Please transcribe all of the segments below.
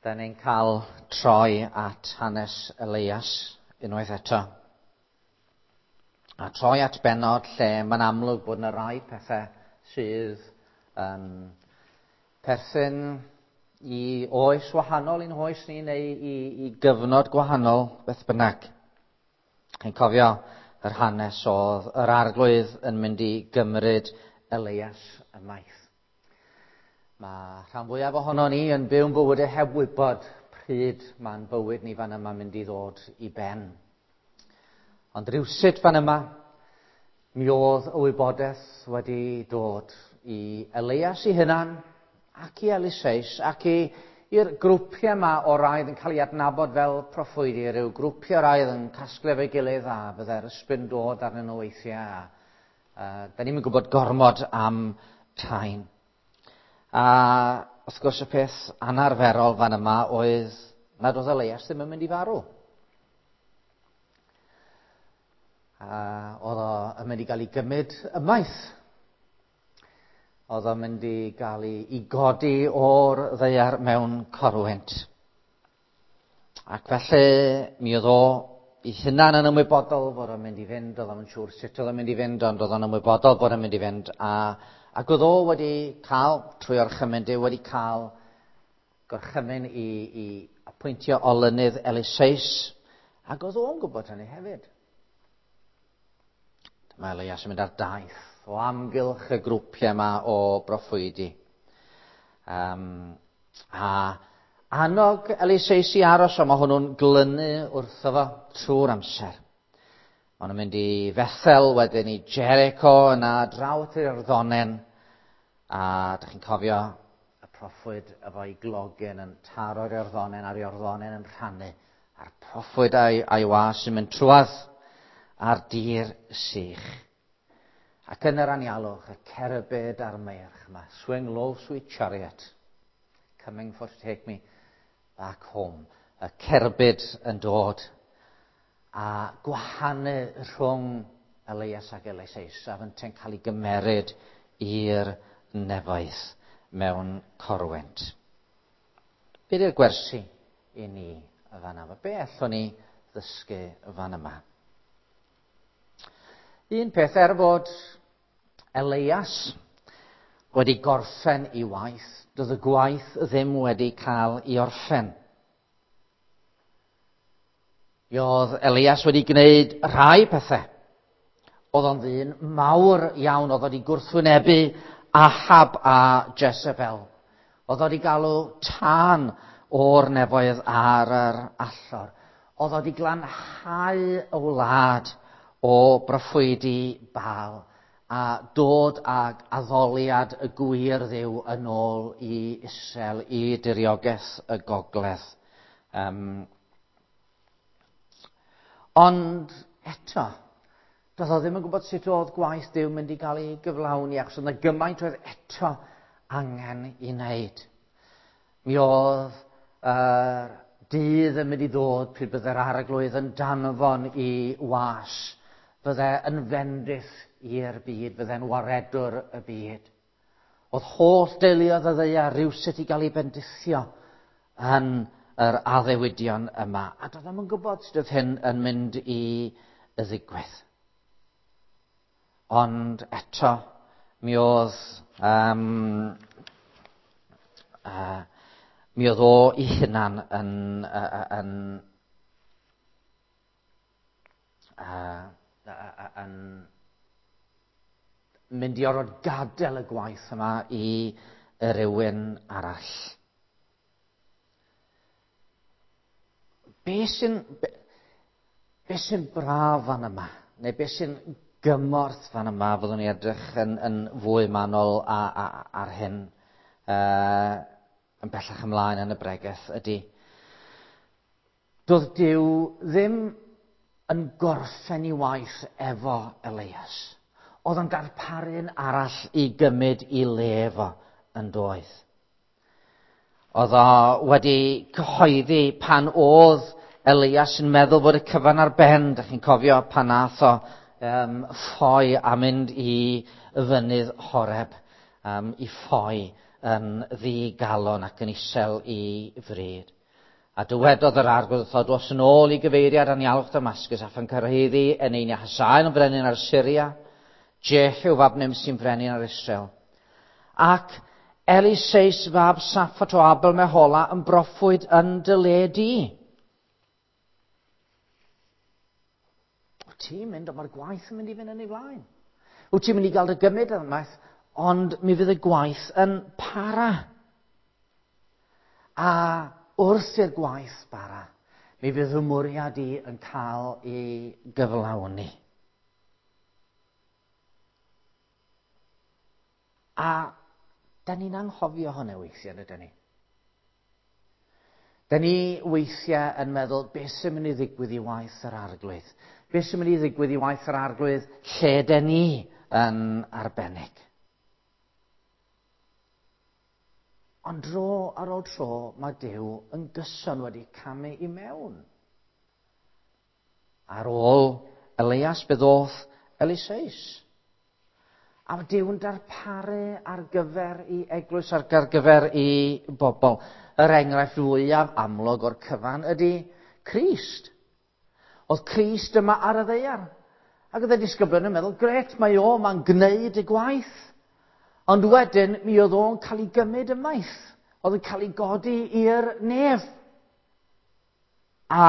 Da ni'n cael troi at hanes Elias unwaith eto. A troi at bennod lle mae'n amlwg bod yna rai pethau sydd yn perthyn i oes wahanol i'n hoes ni neu i gyfnod gwahanol beth bynnag. Chi'n cofio yr hanes oedd yr Arglwydd yn mynd i gymryd Elias ymaith. Mae rhan fwyaf ohono ni yn byw'n bywydau heb wybod pryd mae'n bywyd ni fan yma mynd i ddod i ben. Ond rhywsut fan yma, mi oedd y wybodaeth wedi dod i Elias i hunan ac i Eliseus ac i'r grwpiau yma o raidd yn cael ei adnabod fel proffwydi, rhyw grwpiau raidd yn casglu efo'i gilydd a byddai'r ysbryd yn dod arnyn nhw weithiau. Da ni'n gwybod gormod am rhain. A wrth gwrs y peth anarferol fan yma oedd nad oedd Elias ddim yn mynd i farw. A oedd o yn mynd i gael ei gymryd ymaith. Oedd o'n mynd i gael ei godi o'r ddaear mewn corwynt. Ac felly mi oedd o ei hunan yn ymwybodol bod o'n mynd i fynd, oedd o'n siŵr sut oedd o'n mynd i fynd, ond oedd o'n ymwybodol bod o'n mynd i fynd, ac oedd o wedi cael, trwy orchymyn Duw, wedi cael gorchymyn i apwyntio olynydd Eliseus, ac oedd o'n gwybod hynny hefyd. Dyma Elias yn mynd ar daith o amgylch y grwpiau yma o broffwydi. A annog Eliseus i aros, ond mae hwnnw'n glynu wrtho fo trwy'r amser. Maen nhw'n mynd i Fethel, wedyn i Jericho, yna draw at yr Iorddonen. A dych chi'n cofio y proffwyd efo'i glogyn yn taro'r Iorddonen a'r Iorddonen yn rhannu. A'r proffwyd a'i was yn mynd trwadd ar dir sych. Ac yn yr anialwch, y cerbyd a'r meirch yma, swing low, sweet chariot, coming for to take me back home. Y cerbyd yn dod a gwahanu rhwng Elias ac Eliseus, a fyntau'n cael ei gymeryd i'r nefoedd mewn corwynt. Be di'r gwersi i ni fan yma? Be allwn ni ddysgu fan yma? Un peth, er fod Elias wedi gorffen ei waith, doedd y gwaith ddim wedi cael ei orffen. Mi oedd Elias wedi gwneud rhai pethau. Oedd o'n ddyn mawr iawn, oedd wedi gwrthwynebu Ahab a Jezebel. Oedd wedi galw tân o'r nefoedd ar yr allor. Oedd wedi glanhau y wlad o broffwydi Baal a dod ag addoliad y gwir Dduw yn ôl i Israel, i diriogaeth y gogledd. Ond eto, doedd o ddim yn gwybod sut oedd gwaith Duw mynd i gael ei gyflawni, achos oedd yna gymaint oedd eto angen i wneud. Mi oedd yr dydd yn mynd i ddod pryd bydde'r Arglwydd yn danfon i was, bydde yn fendith i'r byd, bydde'n waredwr y byd. Oedd holl deuluoedd y ddaear rywsut i gael ei bendithio yn yr addewidion yma. A doedd o'm yn gwybod sut oedd hyn yn mynd i ddigwydd. Ond eto, mi oedd o ei hunan yn mynd i orfod gadael y gwaith yma i rywun arall. Be sy'n braf fan yma, neu be sy'n gymorth fan yma, fyddwn ni edrych yn fwy manwl ar hyn yn bellach ymlaen yn y bregeth, ydy doedd Duw ddim yn gorffen ei waith efo Elias. Oedd o'n darparu'n arall i gymryd i le fo yn doedd. Oedd o wedi cyhoeddi pan oedd Elias yn meddwl bod y cyfan ar ben. Dach chi'n cofio pan nath o ffoi a mynd i fynydd Horeb, i ffoi yn ddigalon ac yn isel i fryd. A dywedodd yr arglwydd wrtho, dos yn ôl i gyfeiriad anialwch Damascus a phan cyrhaeddi Eneinia Hasael yn frenin ar Syria, Jehu fab Nimsi'n frenin ar Israel. Ac Eliseus fab Saffat o Abel Mehola yn broffwyd yn dy le di. Wyt ti'n mynd, ond mae'r gwaith yn mynd i fynd yn ei flaen. Wyt ti'n mynd i gael dy gymryd ymaith, ond mi fydd y gwaith yn para. A wrth i'r gwaith bara, mi fydd fy mwriad i yn cael ei gyflawni. A da ni'n anghofio hwnna weithiau, ydyn ni? Da ni weithiau yn meddwl, beth sy'n mynd i ddigwydd i waith yr arglwydd? Beth sy'n mynd i ddigwydd i waith yr arglwydd lle da ni yn arbennig? Ond dro ar ôl tro, mae Duw yn gyson wedi camu i mewn. Ar ôl Elias, fe ddoth Eliseus. A mae Duw yn darparu ar gyfer i eglwys, ar gyfer i bobl. Yr enghraifft fwyaf amlwg o'r cyfan ydy Crist. Oedd Crist yma ar y ddaear. Ac oedd y disgyblion yn meddwl, gret, mae o, mae'n gwneud y gwaith. Ond wedyn, mi oedd o'n cael ei gymryd ymaith. Oedd yn cael ei godi i'r nef. A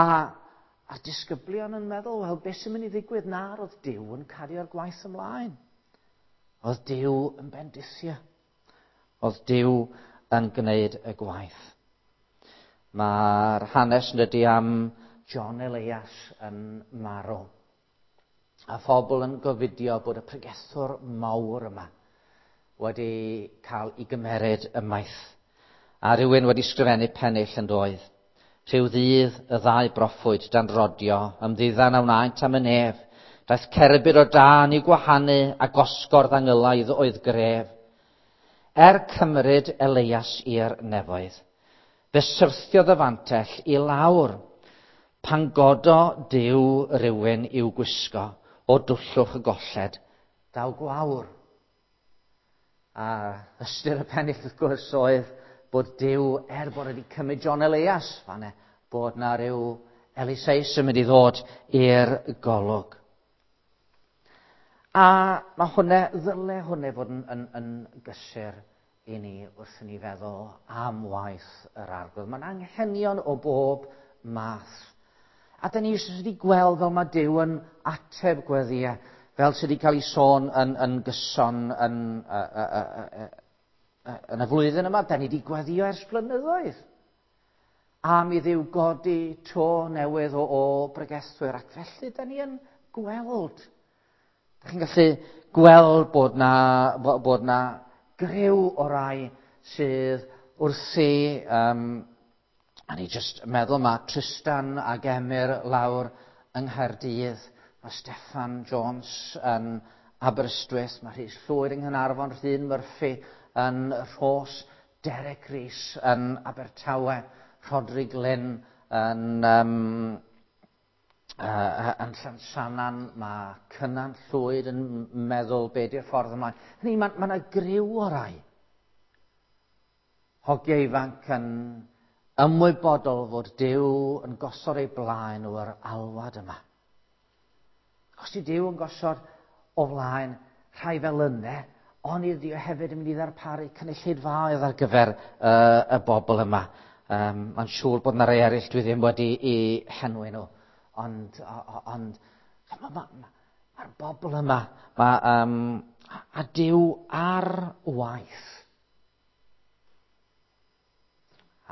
a'r disgyblion yn meddwl, wel, beth sy'n mynd i ddigwydd? Na, oedd Duw yn cario'r gwaith ymlaen. Oedd Duw yn bendithio. Oedd Duw yn gwneud y gwaith. Mae'r hanes yn dydy am John Elias yn marw. A phobl yn gofidio bod y pregethwr mawr yma wedi cael ei gymeryd ymaith. A rhywun wedi sgrifennu pennill yn doedd. Rhyw ddydd y ddau broffwyd dan rodio, ymddiddan a wnaent am y nef. Daeth cerbyd o dân i'w gwahanu a gosgordd angylaidd oedd gref. Er cymryd Elias i'r nefoedd, fe syrthiodd y fantell i lawr. Pan godo Duw rywun i'w gwisgo o dwllwch y golled, daw gwawr. A ystyr y pennill wrth gwrs oedd bod Duw, er bod wedi cymryd John Elias, fanne, bod na ryw Eliseus yn mynd i ddod i'r golwg. A mae hwnna, ddyle hwnna fod yn, yn, yn gysur i ni wrth i ni feddwl am waith yr arglwydd. Mae'n anghenion o bob math. A da ni eisiau wedi gweld fel mae Duw yn ateb gweddïau, fel sydd wedi cael ei sôn yn, yn gyson yn, yn y flwyddyn yma. Da ni wedi gweddio ers blynyddoedd am i Dduw godi to newydd o, o bregethwyr, ac felly da ni yn gweld. Da chi'n gallu gweld bod na, bod na griw o rai sydd wrthi, um, a ni jyst meddwl mae Tristan ac Emyr lawr yng Nghaerdydd, mae Steffan Jones yn Aberystwyth, mae Rhys Llwyd yng Nghaernarfon, Rhun Murphy yn Rhos, Derek Rees yn Abertawe, Rhodri Glyn yn, um, yn Llansannan, mae Cynan Llwyd yn meddwl be di'r ffordd ymlaen. Hynny, mae yna ma griw o rai. Hogiau ifanc yn ymwybodol fod Duw yn gosod ei blaen nhw yr alwad yma. Os di Duw yn gosod o flaen rhai fel yna, ond ydy o hefyd yn mynd i ddarparu cynulleidfaoedd ar gyfer uh, y bobl yma. Um, Mae'n siŵr bod yna rai eraill dwi ddim wedi i henwi nhw. Ond, ond mae'r ma, ma, ma bobl yma, ma, um, a Duw ar waith.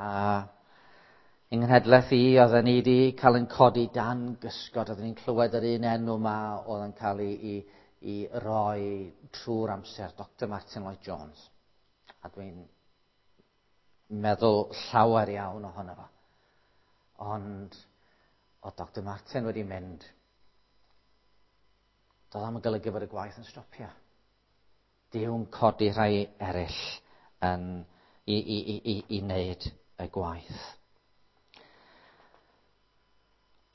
A yng nghenhedlaeth i, oedden ni wedi cael yn codi dan gysgod, oedden ni'n clywed yr un enw yma oedd yn cael ei, ei, ei roi trwy'r amser, Dr Martin Lloyd Jones. A dwi'n meddwl llawer iawn ohono fo. Ond oedd Dr Martin wedi mynd, doedd am yn golygu bod y gwaith yn stopio. Duw'n codi rhai eraill yn, i, i, i, i, i wneud y gwaith.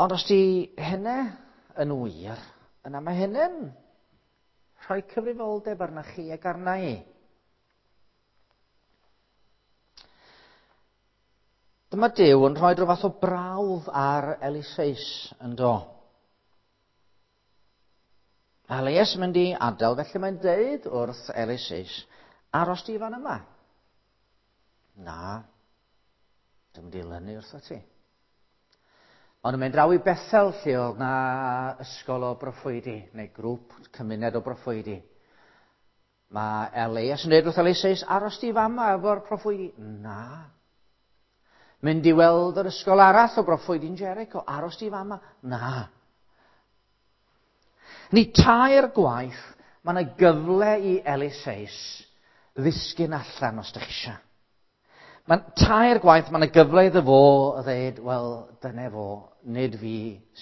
Ond os di hynny yn wir, yna mae hynny'n rhoi cyfrifoldeb arna chi ac arna i. Dyma Duw yn rhoi rhyw fath o brawf ar Eliseus yn do. Mae Elias yn mynd i adael, felly mae'n deud wrth Eliseus, aros di fan yma. Na, dwi'n mynd i lynu wrtho ti. Ond yn mynd draw i Bethel lle oedd na ysgol o broffwydi, neu grŵp cymuned o broffwydi. Mae Elias yn dweud wrth Eliseus, aros di fama efo'r proffwydi. Na. Mynd i weld yr ysgol arall o broffwydi'n Jericho, aros di fama. Na. Ni tair gwaith, mae yna gyfle i Eliseus ddisgyn allan os ydych chi eisiau. Mae'n tair gwaith, mae yna gyfle iddo fo ddeud, wel, dyna fo, nid fi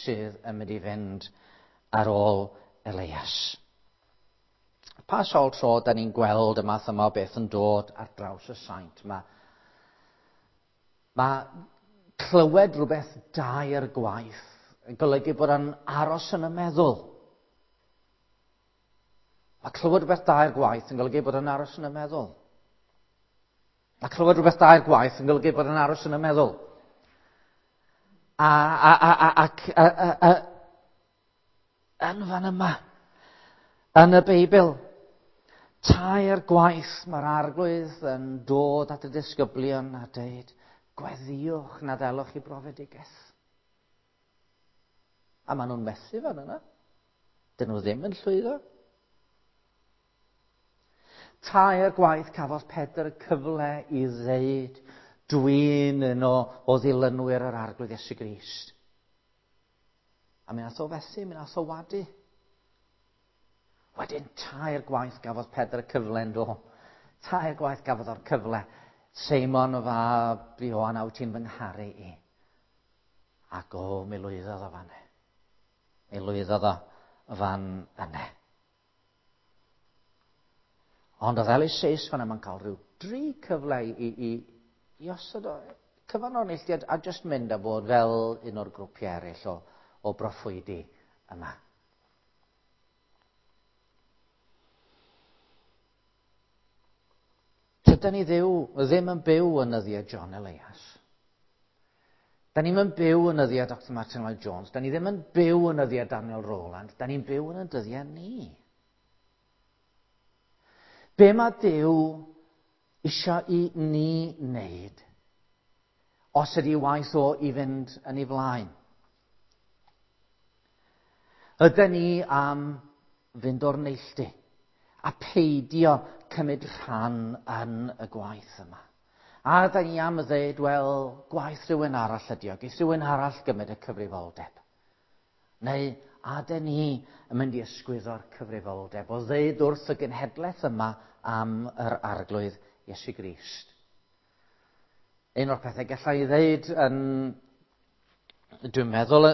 sydd yn mynd i fynd ar ôl Elias. Pa sawl tro da ni'n gweld y math yma o beth yn dod ar draws y saint? Mae, mae clywed rhywbeth dair gwaith yn golygu bod o'n aros yn y meddwl. Mae clywed rhywbeth dair gwaith yn golygu bod o'n aros yn y meddwl. Mae clywed rhywbeth dair gwaith yn golygu bod yn aros yn y meddwl. A, a, a, a, ac a, a, a, yn fan yma, yn y Beibl, tair gwaith mae'r arglwydd yn dod at y disgyblion a deud, gweddiwch na ddelwch i brofedigaeth. A maen nhw'n methu fan yna. Dyn nhw ddim yn llwyddo. Tair gwaith cafodd Pedr y cyfle i ddeud, dwi'n un o, o ddilynwyr yr Arglwydd Iesu Grist. A mi nath o fethu, mi nath o wadu. Wedyn tair gwaith gafodd Pedr y cyfle yn do. Tair gwaith gafodd o'r cyfle. Seimon o fab Ioan, a wyt ti'n fy ngharu i? Ac o, mi lwyddodd o fan e. Mi lwyddodd o fan yne. Ond oedd Eliseus fan yma'n cael rhyw dri cyfle i, i, i osod o cyfan o'r neilltuad a just mynd a bod fel un o'r grwpiau eraill o, o broffwydi yma. Tyda ni ddiw, ddim yn byw yn nyddiau John Elias. Da ni'n yn byw yn nyddiau Dr Martin Lloyd Jones. Da ni ddim yn byw yn nyddiau Daniel Rowland. Da ni'n byw yn y dyddiau ni. Be mae Duw eisiau i ni wneud os ydy waith o i fynd yn ei flaen? Ydyn ni am fynd o'r neilltu a peidio cymryd rhan yn y gwaith yma? A ydyn ni am ddeud, wel, gwaith rhywun arall ydi o, geith rhywun arall gymryd y cyfrifoldeb. Neu a dyn ni yn mynd i ysgwyddo'r cyfrifoldeb o ddeud wrth y genhedlaeth yma am yr arglwydd Iesu Grist. Un o'r pethau gallai i ddeud yn, dwi'n meddwl,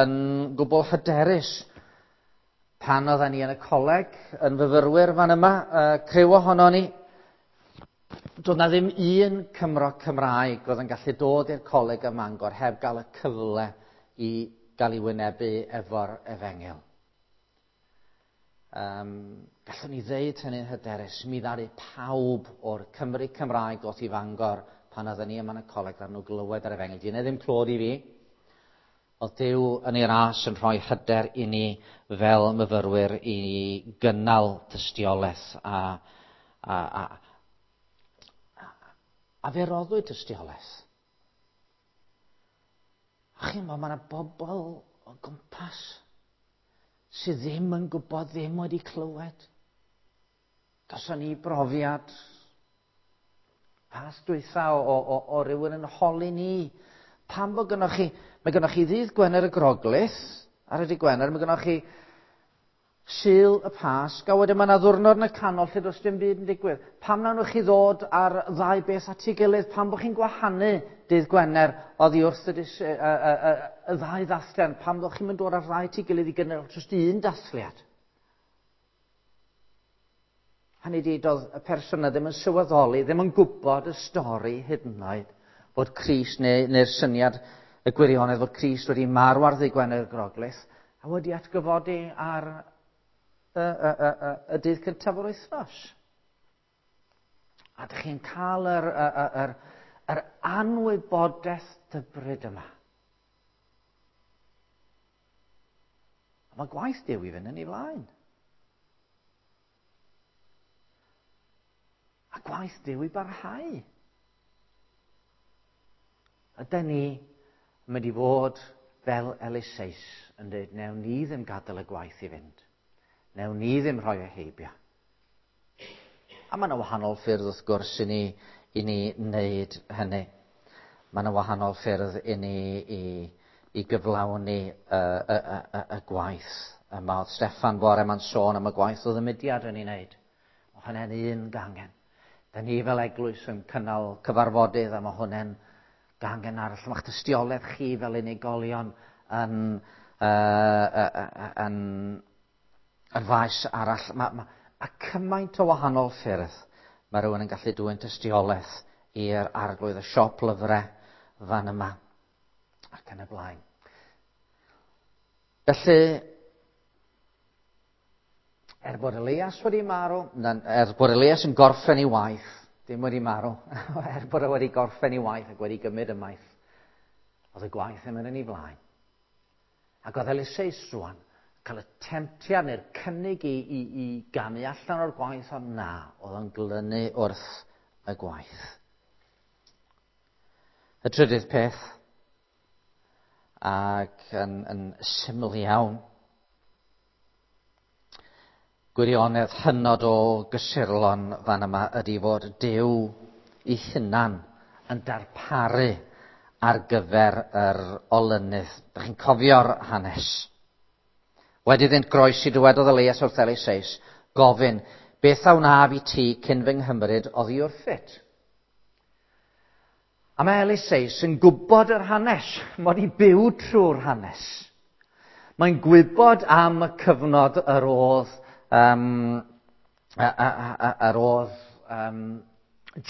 yn gwbl hyderus, pan oedden ni yn y coleg, yn fyfyrwyr fan yma, criw ohono ni, doedd na ddim un Cymro Cymraeg oedd yn gallu dod i'r coleg ym Mangor heb gael y cyfle i gael ei wynebu efo'r efengyl. Um, gallwn ni ddeud hynny'n hyderus, mi ddaru pawb o'r Cymru Cymraeg ddoth i Fangor pan oedden ni yma yn y coleg ddaru nhw glywed yr efengyl. Di ddim clod i fi. Oedd Duw yn ei ras yn rhoi hyder i ni fel myfyrwyr i gynnal tystiolaeth a, a, a, a, a fe roddwyd tystiolaeth. A chi'n meddwl, mae yna bobl o gwmpas sydd ddim yn gwybod, ddim wedi clywed. Gawson ni brofiad pas dwytha o, o, o, o rywun yn holi ni. Pam bod gynnwch chi, mae gynnwch chi ddydd Gwener y Groglith, ar y dydd Gwener, mae gynnwch chi Sul y Pasg, a wedyn mae yna ddwrnod yn y canol lle does dim byd yn digwydd. Pam nawn chi ddod ar ddau beth at ei gilydd? Pam bod chi'n gwahanu dydd Gwener oddi wrth y, y, y, y, y ddau ddathliad? Pam bod chi'n mynd dod ar ddau at ei gilydd i gynnal jyst un dathliad? Hynny di, doedd y person yna ddim yn sylweddoli, ddim yn gwybod y stori hyd yn oed, bod Crist neu, neu'r syniad y gwirionedd fod Crist wedi marw ar ddydd Gwener y Groglith a wedi atgyfodi ar y, y, y, y, y dydd cyntaf o'r wythnos. A dych chi'n cael yr, yr, yr, Yr anwybodaeth dybryd yma. A mae gwaith Duw i fynd yn ei flaen. A gwaith Duw i barhau. Ydy ni yn mynd i fod fel Eliseus yn dweud, newn ni ddim gadael y gwaith i fynd. Newn ni ddim rhoi e heibio. A mae yna wahanol ffyrdd wrth gwrs i ni wneud hynny. Mae yna wahanol ffyrdd i ni i gyflawni y gwaith yma. Oedd Steffan bore ma'n sôn am y gwaith oedd y mudiad yn ei wneud. Mae hwnna'n un gangen. Da ni fel eglwys yn cynnal cyfarfodydd a mae hwnna'n gangen arall. Mae'ch tystiolaeth chi fel unigolion yn faes arall. A cymaint o wahanol ffyrdd mae rhywun yn gallu dwyn tystiolaeth i'r Arglwydd, y siop lyfrau fan yma ac yn y blaen. Felly, er bod Elias wedi marw, er bod Elias yn gorffen ei waith, ddim wedi marw, er bod e wedi gorffen ei waith ac wedi gymryd ymaith, oedd y gwaith yn mynd yn ei flaen. Ac oedd Eliseus rwan cael y temtiad neu'r cynnig i gamu allan o'r gwaith, ond na, oedd o'n glynu wrth y gwaith. Y trydydd peth, ac yn syml iawn, gwirionedd hynod o gysurlon fan yma ydy fod Duw ei hunan yn darparu ar gyfer yr olynydd. Dych chi'n cofio'r hanes. Wedi iddynt groesi, dywedodd Elias wrth Eliseus, gofyn, "Beth a wnaf i ti cyn fy nghymryd oddi wrthyt?" A mae Eliseus yn gwybod yr hanes. Mae wedi byw trwy'r hanes. Mae'n gwybod am y cyfnod yr oedd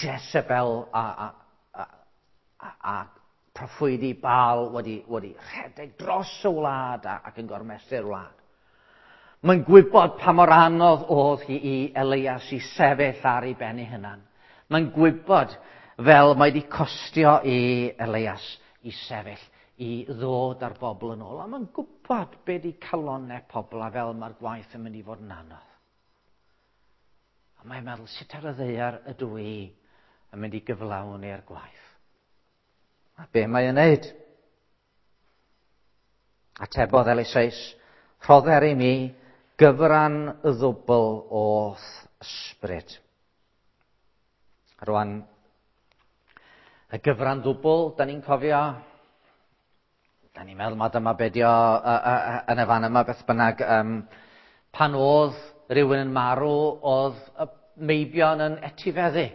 Jezebel a proffwydi Baal wedi rhedeg dros y wlad ac yn gormesu'r wlad. Mae'n gwybod pa mor anodd oedd hi i Elias i sefyll ar ei ben ei hunan. Mae'n gwybod fel mae wedi costio i Elias i sefyll, i ddod ar bobl yn ôl. A mae'n gwybod be di calonnau pobl a fel mae'r gwaith yn mynd i fod yn anodd. A mae'n meddwl, sut ar y ddaear ydw i yn mynd i gyflawni'r gwaith? A be mae'n neud? Atebodd Eliseus, "Rhodder i mi gyfran y ddwbl o'th ysbryd." Rwan, y gyfran ddwbl, da ni'n cofio, da ni'n meddwl mae dyma be dio yn y fan yma beth bynnag, pan oedd rhywun yn marw, oedd y meibion yn etifeddu.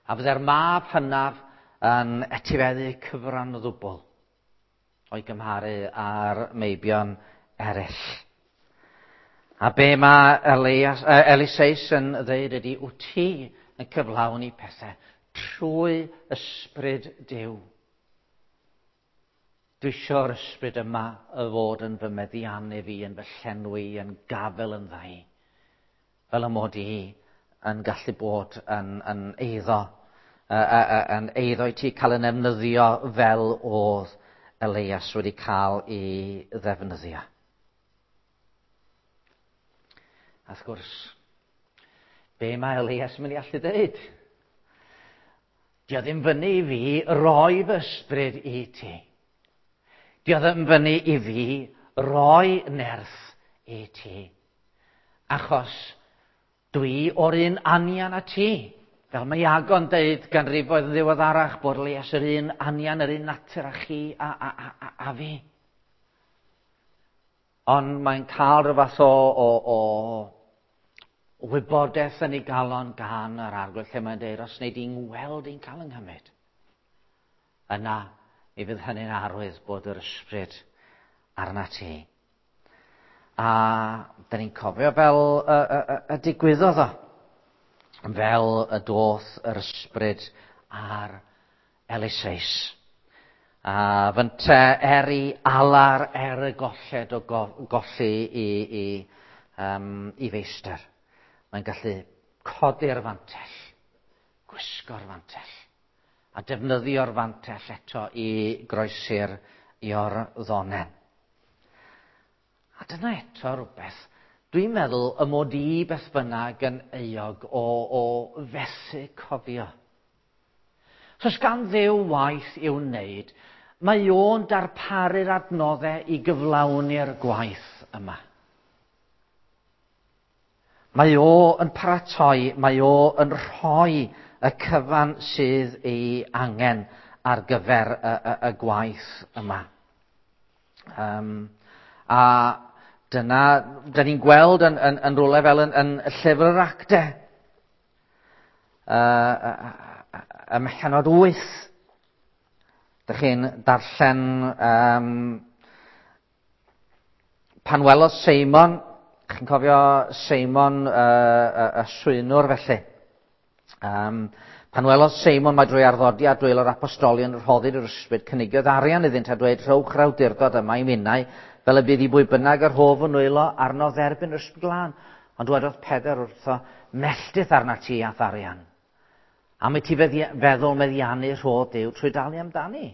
A fydde'r mab hynaf yn etifeddu cyfran ddwbl o'i gymharu â'r meibion eraill. A be mae Eliseus yn dweud ydy, wyt ti yn cyflawni pethau trwy ysbryd Duw. Dwi eisiau'r ysbryd yma y fod yn fy meddiannu fi, yn fy llenwi, yn gafel yndda i. Fel y mod i yn gallu bod yn eiddo i ti, cael yn ddefnyddio fel oedd Elias wedi cael ei ddefnyddio. A wrth gwrs, be mae Elias yn mynd i allu dweud? Dio ddim fyny i fi roi fy ysbryd i ti. Dio ddim fyny i fi roi nerth i ti. Achos dwi o'r un anian a ti. Fel mae Iago'n deud ganrifoedd yn ddiweddarach bod Elias yr un anian, yr un natur a chi a fi. Ond mae'n cael rhyw fath o wybodaeth yn ei galon gan yr Arglwydd lle mae'n deud, "Os wnei di'n weld i'n cael yng nghymryd, yna mi fydd hynny'n arwydd bod yr ysbryd arna ti." A da ni'n cofio fel y digwyddodd o. Fel y doth yr ysbryd ar Eliseus. A fynte er i alar, er y golled o golli i feistr, mae'n gallu codi'r fantell, gwisgo'r fantell. A defnyddio'r fantell eto i groesi'r Iorddonen. A dyna eto rhywbeth dwi'n meddwl y mod i beth bynnag yn euog o fethu cofio. So os gan Dduw waith i'w wneud, mae o'n darparu'r adnoddau i gyflawni'r gwaith yma. Mae o yn paratoi, mae o yn rhoi y cyfan sydd ei angen ar gyfer y gwaith yma. A dyna, da ni'n gweld yn rhywle fel yn llyfr yr Actau. Ym mhennod 8. Dych chi'n darllen pan welodd Seimon, chi'n cofio Seimon y swynwr felly. Pan welodd Seimon mae drwy arddodiad dwylo'r apostolion rhoddid yr ysbryd, cynigiodd arian iddynt a dweud, rhowch yr awdurdod yma i minnau, fel y bydd i bwy bynnag yr hof yn nwylo arno dderbyn yr ysbryd glân. Ond dwedodd Pedr wrtho, melltith arna ti a'th arian. Am i ti feddwl meddiannu rhodd Duw trwy dalu amdani.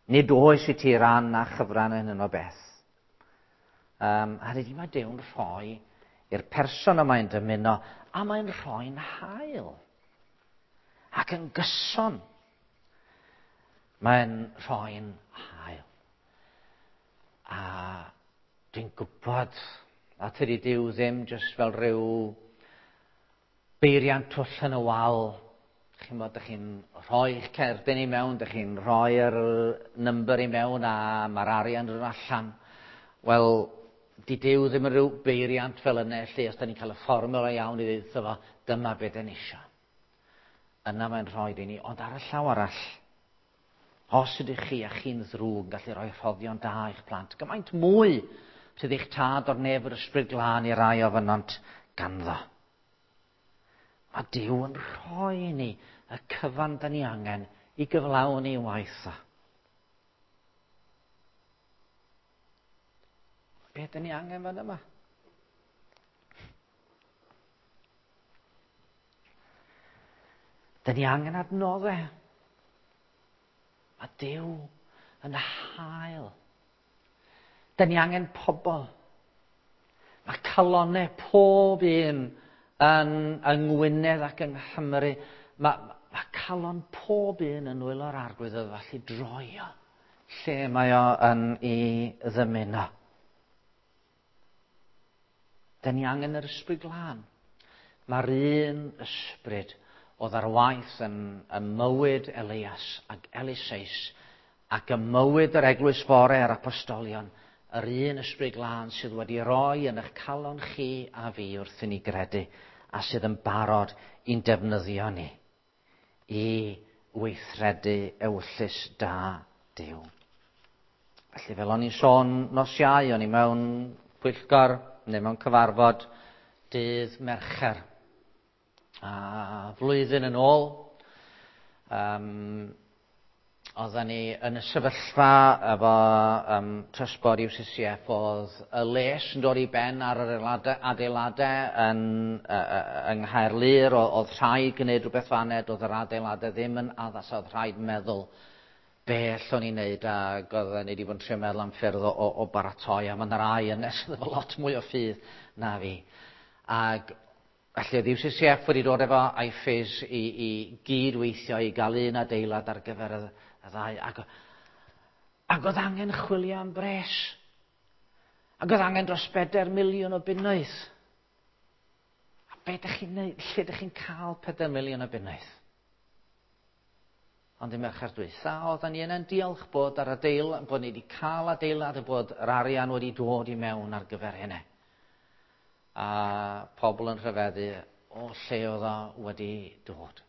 Nid oes i ti ran na chyfran yn hyn o beth. A dydy mae Duw'n rhoi i'r person y mae'n dymuno, a mae'n rhoi'n hael. Ac yn gyson, mae'n rhoi'n hael. A dwi'n gwybod, a tydi Duw ddim jyst fel rhyw beiriant twll yn y wal. Chi'n bod, dych chi'n rhoi eich cerdyn i mewn, dych chi'n rhoi'r number i mewn a mae'r arian yn allan. Wel, di Duw ddim yn rhyw beiriant fel yna, lle os da ni'n cael y fformula iawn i ddeud fo, dyma beth da ni isio. Yna mae'n rhoi i ni, ond ar y llaw arall, os ydych chi a chi'n ddrwg yn gallu rhoi rhoddion da i'ch plant, gymaint mwy sydd eich tad o'r nef yr ysbryd glân i rai ofynont ganddo. Mae Duw yn rhoi i ni y cyfan da ni angen i gyflawni waith o. Be da ni angen fan yma? Da ni angen adnoddau. Mae Duw yn hael. Da ni angen pobl. Mae calonnau pob un yng Ngwynedd ac yng Nghymru. Mae calon pob un yn nwylo'r Arglwydd oedd felly droi o lle mae o yn ei ddymuno. Da ni angen yr ysbryd glân. Mae'r un ysbryd oedd ar waith yn mywyd Elias ac Eliseus ac ym mywyd yr eglwys fore a'r apostolion, yr un ysbryd glân sydd wedi roi yn eich calon chi a fi wrth i ni gredu a sydd yn barod i'n defnyddio ni i weithredu ewyllys da Duw. Felly fel o'n i'n sôn nos Iau, o'n i mewn pwyllgor neu mewn cyfarfod dydd Mercher. A flwyddyn yn ôl, oedden ni yn y sefyllfa efo Trustboard UCCF, oedd y les yn dod i ben ar yr adeiladau yng Nghaerlŷr, oedd rhaid gwneud rhywbeth faned, oedd yr adeiladau ddim yn addas, oedd rhaid meddwl be allwn ni wneud, ac oedden ni wedi bod yn trio meddwl am ffyrdd o baratoi, a mae yna rai yn nes efo lot mwy o ffydd na fi. Ac felly oedd UCCF wedi dod efo IFES i gydweithio i gael un adeilad ar gyfer y ddau. Ac oedd angen chwilio am bres. Ac oedd angen dros 4 miliwn o bunnoedd. A be dych chi'n neud? Lle dych chi'n cael 4 miliwn o bunnoedd? Ond i Mercher dwytha, oedden ni yna'n diolch bod ar adeilad, bod ni wedi cael adeilad a bod yr arian wedi dod i mewn ar gyfer hynny. A pobl yn rhyfeddu o lle oedd o wedi dod.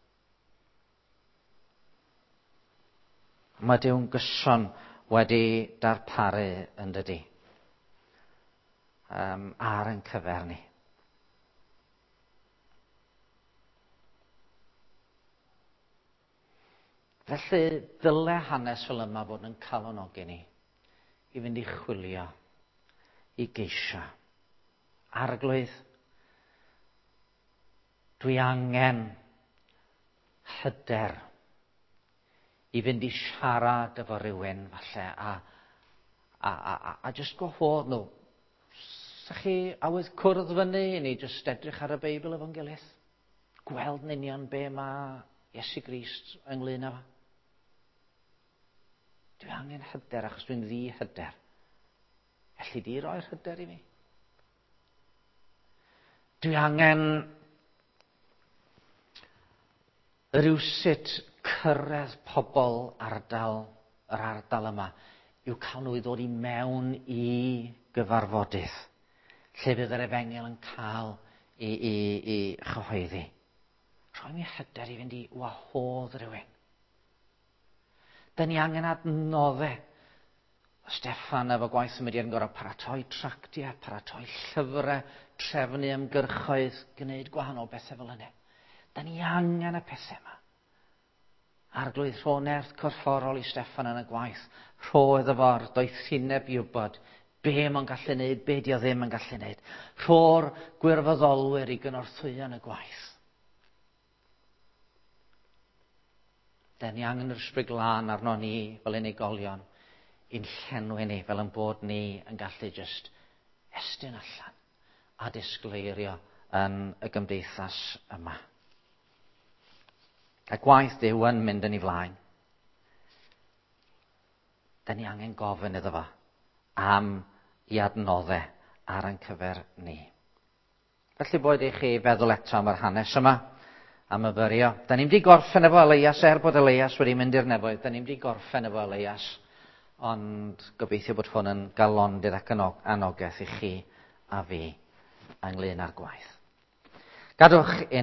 Mae Duw'n gyson wedi darparu yn dydi. Ar ein cyfer ni. Felly dyle hanes fel yma fod yn calonogi ni i fynd i chwilio, i geisio. Arglwydd, dwi angen hyder. i fynd i siarad efo rhywun falle a jyst gwahodd nhw. Sa chi awydd cwrdd fyny i ni jyst edrych ar y Beibl efo'n gilydd? Gweld yn union be mae Iesu Grist ynglyn â fo? Dwi angen hyder achos dwi'n ddi-hyder. Elli di roi'r hyder i fi? Dwi angen rywsut cyrraedd pobl ardal, yr ardal yma, i'w cael nhw i ddod i mewn i gyfarfodydd, lle fydd yr efengyl yn cael i chyhoeddi. Rhoi mi hyder i fynd i wahodd rhywun. Da ni angen adnoddau. Steffan efo gwaith y mudiad yn gorfod paratoi tractiau, paratoi llyfrau, trefnu ymgyrchoedd, gwneud gwahanol bethau fel hynny. Da ni angen y pethau yma. Arglwydd, rho nerth corfforol i Steffan yn y gwaith. Rho iddo fo'r doethineb i wybod be mae'n gallu neud, be di o ddim yn gallu neud. Rho'r gwirfoddolwyr i gynorthwyo yn y gwaith. Da ni angen yr Ysbryd Glân arno ni fel unigolion i'n llenwi ni fel yn bod ni yn gallu jyst estyn allan a disgleirio yn y gymdeithas yma. A gwaith Duw yn mynd yn ei flaen. Da ni angen gofyn iddo fo am i adnoddau ar ein cyfer ni. Felly boed i chi feddwl eto am yr hanes yma, a myfyrio. Da ni'n mynd i gorffen efo Elias, er bod Elias wedi mynd i'r nefoedd, da ni'n mynd i gorffen efo Elias, ond gobeithio bod hwn yn galondid ac yn anogaeth i chi a fi ynglyn â'r gwaith. Gadwch